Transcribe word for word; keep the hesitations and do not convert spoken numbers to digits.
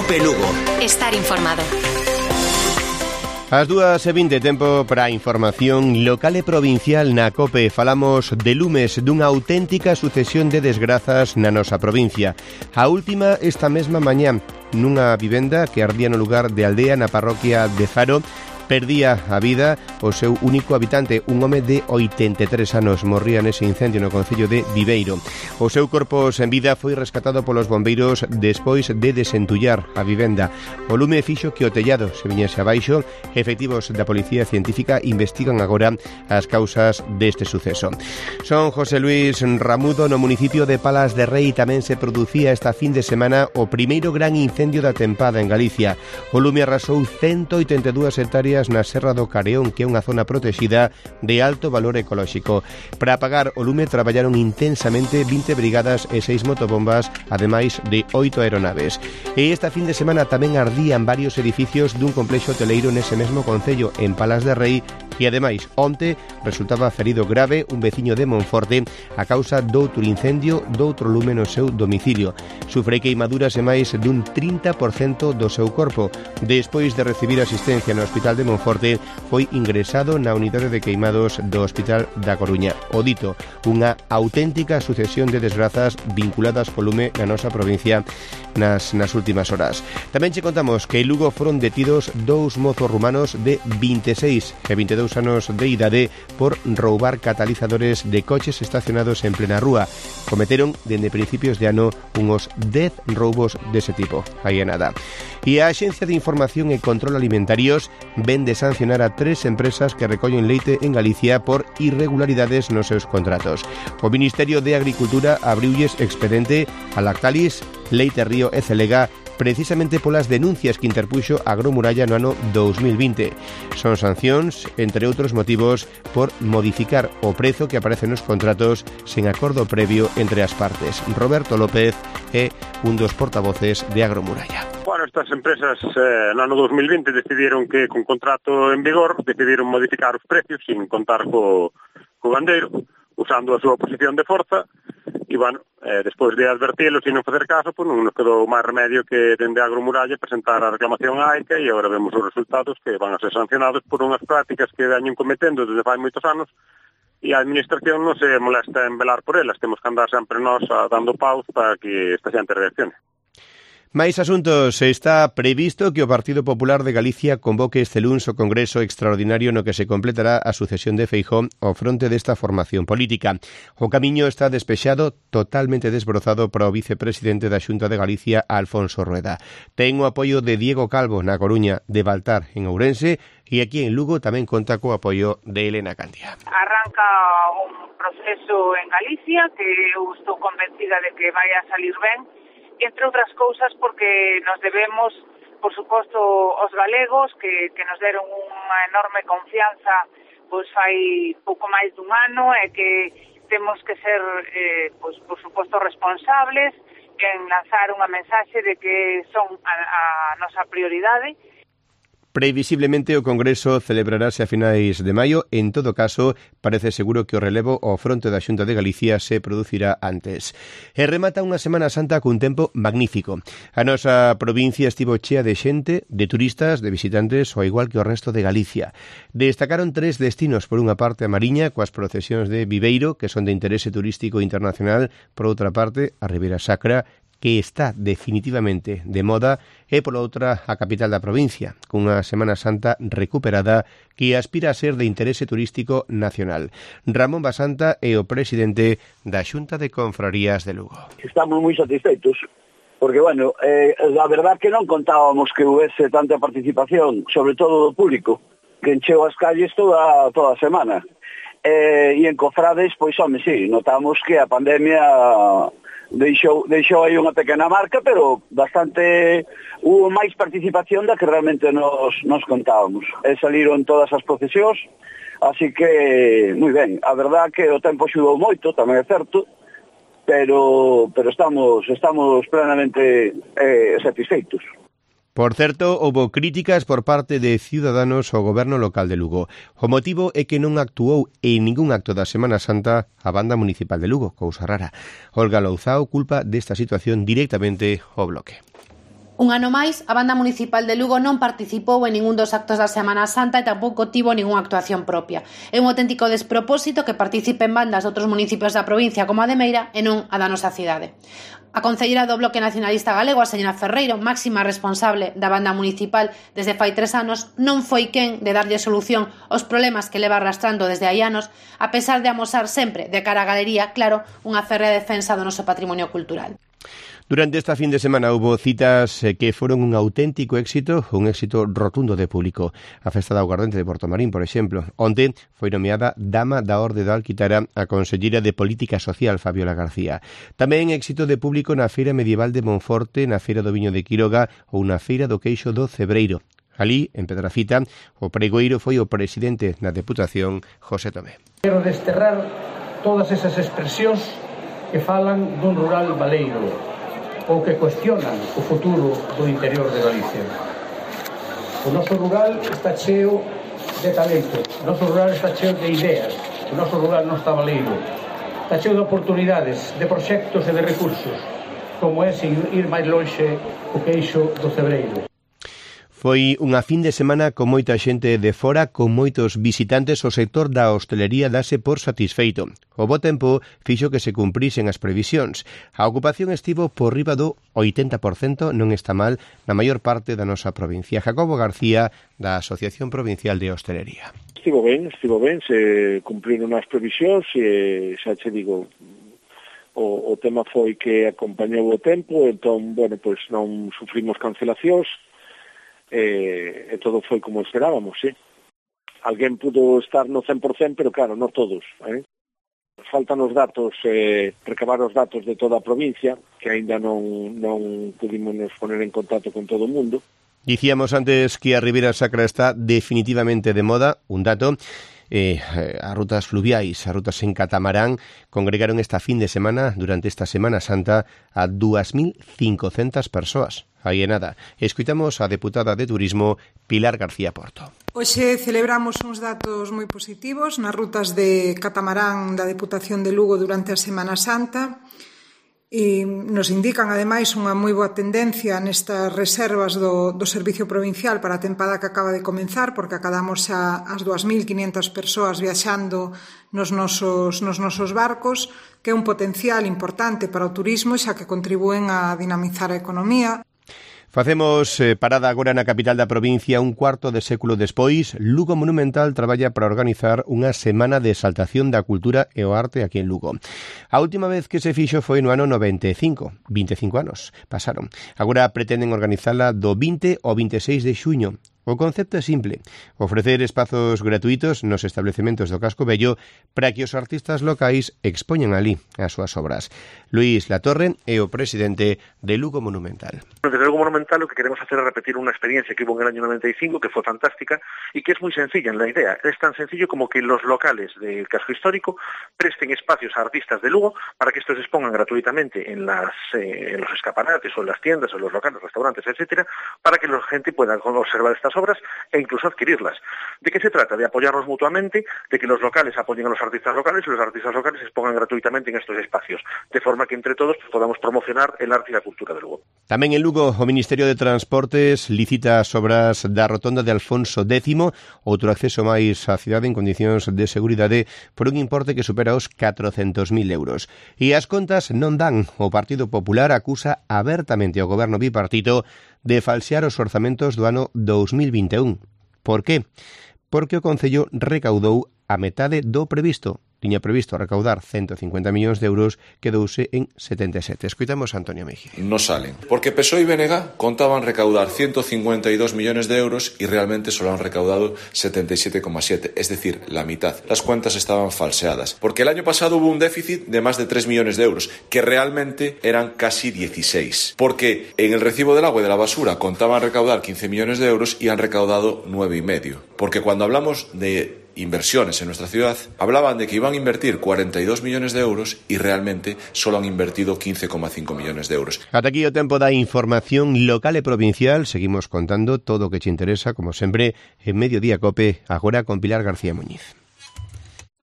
Cope Lugo. Estar informado. As dúas e vinte, tempo para a información local e provincial na COPE. Falamos de lumes, dunha auténtica sucesión de desgrazas na nosa provincia. A última esta mesma mañá, nunha vivenda que ardía no lugar de Aldea, na parroquia de Faro. Perdía a vida o seu único habitante, un home de oitenta e tres anos, morría nese incendio no concello de Viveiro. O seu corpo sen vida foi rescatado polos bombeiros despois de desentullar a vivenda. O lume fixo que o tellado se viñese abaixo. Efectivos da Policía Científica investigan agora as causas deste suceso. Son José Luis Ramudo, no municipio de Palas de Rei tamén se producía esta fin de semana o primeiro gran incendio da tempada en Galicia. O lume arrasou ciento oitenta e dúas hectáreas na Serra do Careón, que é unha zona protexida de alto valor ecolóxico. Para apagar o lume traballaron intensamente vinte brigadas e seis motobombas, ademais de oito aeronaves. E esta fin de semana tamén ardían varios edificios dun complexo hoteleiro nese mesmo concello, en Palas de Rei, e ademais onte resultaba ferido grave un veciño de Monforte a causa doutro incendio doutro lume no seu domicilio. Sufre queimaduras e máis dun trinta por cento do seu corpo. Despois de recibir asistencia no Hospital de Monforte, foi ingresado na unidade de queimados do Hospital da Coruña. O dito, unha auténtica sucesión de desgrazas vinculadas co lume na nosa provincia nas, nas últimas horas. Tamén che contamos que en Lugo foron detidos dous mozos rumanos de vinte e seis e vinte e dous anos de idade por roubar catalizadores de coches estacionados en plena rúa. Cometeron dende principios de ano uns dez roubos dese tipo. Aí é nada. E a Axencia de Información e Control Alimentarios ven de sancionar a tres empresas que recollen leite en Galicia por irregularidades nos seus contratos. O Ministerio de Agricultura abriulles expedente a Lactalis, Leite Río e Celega precisamente polas denuncias que interpuxo Agromuralla no ano dous mil vinte. Son sancións, entre outros motivos, por modificar o prezo que aparece nos contratos sen acordo previo entre as partes. Roberto López é un dos portavoces de Agromuralla. Bueno, estas empresas eh, no ano dous mil vinte decidieron que con contrato en vigor decidieron modificar os precios sin contar co, co gandeiro, usando a súa posición de forza. E, bueno, eh, despois de advertilo sin non facer caso, pues non nos quedou máis remedio que dende Agromuralla presentar a reclamación á AICA e agora vemos os resultados que van a ser sancionados por unhas prácticas que veñen cometendo desde fai moitos anos e a Administración non se molesta en velar por elas. Temos que andar sempre nós a, dando paus para que esta xente reaccione. Máis asuntos. Está previsto que o Partido Popular de Galicia convoque este luns o Congreso Extraordinario no que se completará a sucesión de Feijóo ao fronte desta formación política. O camiño está despexado, totalmente desbrozado para o vicepresidente da Xunta de Galicia, Alfonso Rueda. Ten o apoio de Diego Calvo na Coruña, de Baltar en Ourense, e aquí en Lugo tamén conta co apoio de Elena Candia. Arranca un proceso en Galicia que eu estou convencida de que vai a salir ben, entre outras cousas porque nos debemos, por suposto, aos galegos que, que nos deron unha enorme confianza pois fai pouco máis dun ano e que temos que ser, eh, pois, por suposto, responsables en lanzar unha mensaxe de que son a, a nosa prioridade. Previsiblemente o Congreso celebrarase a finais de maio. En todo caso, parece seguro que o relevo ao fronte da Xunta de Galicia se producirá antes. E remata unha Semana Santa cun tempo magnífico. A nosa provincia estivo chea de xente, de turistas, de visitantes, ao igual que o resto de Galicia. Destacaron tres destinos. Por unha parte, a Mariña, coas procesións de Viveiro, que son de interese turístico internacional. Por outra parte, a Ribeira Sacra, que está definitivamente de moda, e pola outra a capital da provincia, cunha Semana Santa recuperada que aspira a ser de interese turístico nacional. Ramón Basanta é o presidente da Xunta de Confrarías de Lugo. Estamos moi satisfeitos, porque, bueno, eh, a verdad que non contábamos que houvese tanta participación, sobre todo do público, que encheu as calles toda, toda a semana. Eh, e en Cofrades, pois, home, sí, notamos que a pandemia deixou, deixou aí unha pequena marca, pero bastante, hubo máis participación da que realmente nos, nos contábamos. E saliron todas as procesións, así que, moi ben, a verdad que o tempo xudou moito, tamén é certo, pero, pero estamos, estamos plenamente eh, satisfeitos. Por certo, houbo críticas por parte de Ciudadanos ao goberno local de Lugo. O motivo é que non actuou en ningún acto da Semana Santa a banda municipal de Lugo, cousa rara. Olga Louzao culpa desta situación directamente ao Bloque. Un ano máis, a Banda Municipal de Lugo non participou en ningún dos actos da Semana Santa e tampouco tivo ningunha actuación propia. É un auténtico despropósito que participen bandas de outros municipios da provincia como a de Meira e non a da nosa cidade. A concelleira do Bloque Nacionalista Galego, a señora Ferreiro, máxima responsable da Banda Municipal desde fai tres anos, non foi quen de darlle solución aos problemas que leva arrastrando desde hai anos, a pesar de amosar sempre, de cara á galería, claro, unha férrea defensa do noso patrimonio cultural. Durante esta fin de semana hubo citas que foron un auténtico éxito, un éxito rotundo de público. A Festa da Aguardente de Portomarín, por exemplo. Onte foi nomeada Dama da Orde da Alquitara a conselleira de Política Social, Fabiola García. Tamén éxito de público na Feira Medieval de Monforte, na Feira do Viño de Quiroga ou na Feira do Queixo do Cebreiro. Alí, en Pedrafita, o pregoeiro foi o presidente da Deputación, José Tomé. Quero desterrar todas esas expresións que falan dun rural baleiro ou que cuestionan o futuro do interior de Galicia. O noso rural está cheo de talento, o noso rural está cheo de ideas, o noso rural non está baleiro, está cheo de oportunidades, de proxectos e de recursos, como é ir máis lonxe o Queixo do Cebreiro. Foi unha fin de semana con moita xente de fora, con moitos visitantes. O sector da hostelería dase por satisfeito. O bo tempo fixo que se cumprisen as previsións. A ocupación estivo por riba do oitenta por cento, non está mal, na maior parte da nosa provincia. Jacobo García, da Asociación Provincial de Hostelería. Estivo ben, estivo ben, se cumpriron as previsións e xa che digo, o, o tema foi que acompañou o tempo, entón, bueno, pois non sufrimos cancelacións, E, e todo foi como esperábamos, sí. Alguén pudo estar no cen por cento, pero claro, non todos, eh? Faltan os datos, eh, recabar os datos de toda a provincia, que aínda non, non pudimos nos poner en contacto con todo o mundo. Dicíamos antes que a Ribeira Sacra está definitivamente de moda, un dato. Eh, as rutas fluviais, as rutas en catamarán congregaron esta fin de semana, durante esta Semana Santa, a dúas mil cincocentas persoas. Aí é nada. Escuitamos a deputada de Turismo, Pilar García Porto. Hoxe celebramos uns datos moi positivos nas rutas de catamarán da Deputación de Lugo durante a Semana Santa. E nos indican, ademais, unha moi boa tendencia nestas reservas do, do Servicio Provincial para a tempada que acaba de comenzar, porque acadamos xa as dúas mil quinhentas persoas viaxando nos nosos, nos nosos barcos, que é un potencial importante para o turismo, xa que contribúen a dinamizar a economía. Facemos eh, parada agora na capital da provincia un cuarto de século despois. Lugo Monumental traballa para organizar unha semana de exaltación da cultura e o arte aquí en Lugo. A última vez que se fixo foi no ano noventa e cinco, vinte e cinco anos pasaron. Agora pretenden organizala do vinte ao vinte e seis de xuño. O concepto é simple, ofrecer espazos gratuitos nos establecementos do Casco Vello para que os artistas locais expoñan ali as súas obras. Luís Latorre é o presidente de Lugo Monumental. Desde Lugo Monumental lo que queremos hacer es repetir una experiencia que hubo en el año noventa y cinco, que fue fantástica y que es muy sencilla en la idea. Es tan sencillo como que los locales del casco histórico presten espacios a artistas de Lugo para que estos se expongan gratuitamente en, las, eh, en los escaparates o en las tiendas o en los locales, restaurantes, etcétera, para que la gente pueda observar estas obras e incluso adquirirlas. ¿De qué se trata? De apoyarnos mutuamente, de que los locales apoyen a los artistas locales y los artistas locales se expongan gratuitamente en estos espacios, de forma que entre todos podamos promocionar el arte y la cultura de Lugo. Tamén en Lugo, o Ministerio de Transportes licita as obras da rotonda de Alfonso X, outro acceso máis á cidade en condicións de seguridade por un importe que supera os catrocentos mil euros. E as contas non dan. O Partido Popular acusa abertamente ao goberno bipartito de falsear os orzamentos do ano dous mil vinte e un. Por qué? Porque o Concello recaudou a metade do previsto. Tiña previsto recaudar ciento cincuenta millóns de euros, quedouse en setenta e sete. Escoitamos a Antonio Mejide. No salen, porque P S O E y B N G contaban recaudar ciento cincuenta y dos millones de euros y realmente solo han recaudado setenta y siete coma siete, es decir, la mitad. Las cuentas estaban falseadas, porque el año pasado hubo un déficit de más de tres millones de euros, que realmente eran casi dieciséis, porque en el recibo del agua y de la basura contaban recaudar quince millones de euros y han recaudado nueve y medio, porque cuando hablamos de inversiones en nuestra ciudad, hablaban de que iban a invertir cuarenta y dos millones de euros y realmente solo han invertido quince coma cinco millones de euros. Ata aquí o tempo da información local e provincial. Seguimos contando todo o que te interesa, como sempre, en Mediodía Cope, agora con Pilar García Muñiz.